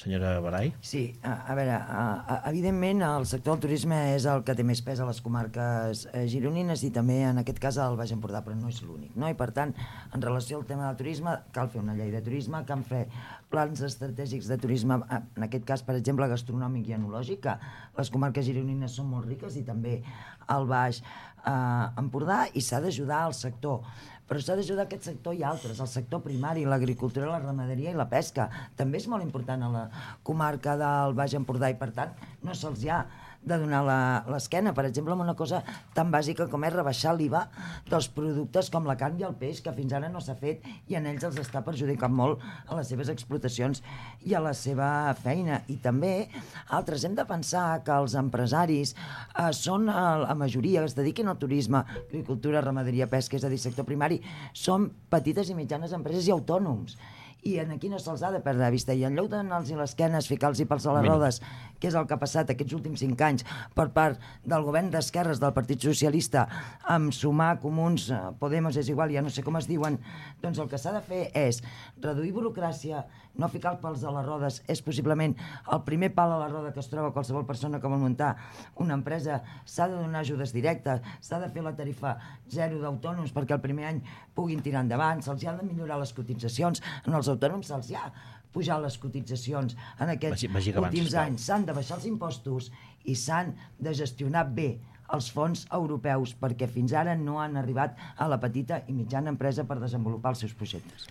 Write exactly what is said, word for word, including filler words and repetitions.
senyora Barai? Sí, a, a veure, a, a, evidentment el sector del turisme és el que té més pes a les comarques eh, gironines i també en aquest cas al Baix Empordà, però no és l'únic, no? I per tant, en relació al tema del turisme, cal fer una llei de turisme, cal fer plans estratègics de turisme, en aquest cas, per exemple, gastronòmic i enològic, que les comarques gironines són molt riques i també al Baix eh, Empordà, i s'ha d'ajudar al sector. Però s'ha d'ajudar aquest sector i altres, el sector primari, l'agricultura, la ramaderia i la pesca. També és molt important a la comarca del Baix Empordà i, per tant, no se'ls ha de donar l'esquena, per exemple, amb una cosa tan bàsica com és rebaixar l'I V A dels productes com la carn i el peix, que fins ara no s'ha fet i en ells els està perjudicant molt a les seves explotacions i a la seva feina. I també altres, hem de pensar que els empresaris eh, són eh, la majoria que es dediquin al turisme, agricultura, ramaderia, pesca, és a dir, sector primari, són petites i mitjanes empreses i autònoms. I aquí no se'ls ha de perdre de vista, i en lloc de donar-los l'esquenes, ficar-los pels a les rodes, que és el que ha passat aquests últims cinc anys per part del govern d'esquerres del Partit Socialista, amb Sumar, Comuns, Podemos, és igual, ja no sé com es diuen, doncs el que s'ha de fer és reduir burocràcia, no ficar els pals a les rodes, és possiblement el primer pal a la roda que es troba qualsevol persona que vol muntar una empresa. S'ha de donar ajudes directes, s'ha de fer la tarifa zero d'autònoms perquè el primer any puguin tirar endavant, se'ls ha de millorar les cotitzacions, en els autònoms se'ls ha pujar les cotitzacions en aquests vagi, vagi últims abans, anys, s'han de baixar els impostos i s'han de gestionar bé els fons europeus, perquè fins ara no han arribat a la petita i mitjana empresa per desenvolupar els seus projectes.